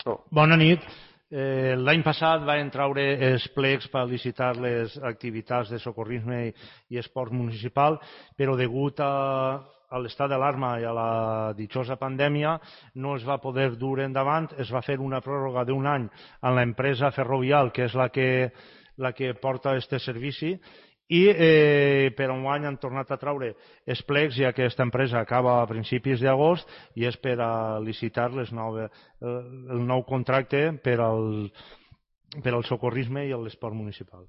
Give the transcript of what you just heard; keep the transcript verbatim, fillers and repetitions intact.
Bona nit. Eh, L'any passat van treure els plecs per licitar les activitats de socorrisme i, i esport municipal, però degut a, a l'estat d'alarma i a la ditjosa pandèmia no es va poder dur endavant. Es va fer una pròrroga d'un any a l'empresa Ferrovial, que és la que, la que porta aquest servici, i eh, per un any han tornat a treure els plecs, ja que aquesta empresa acaba a principis d'agost i és per a licitar les nove, el nou contracte per al, per al socorrisme i l'esport municipal.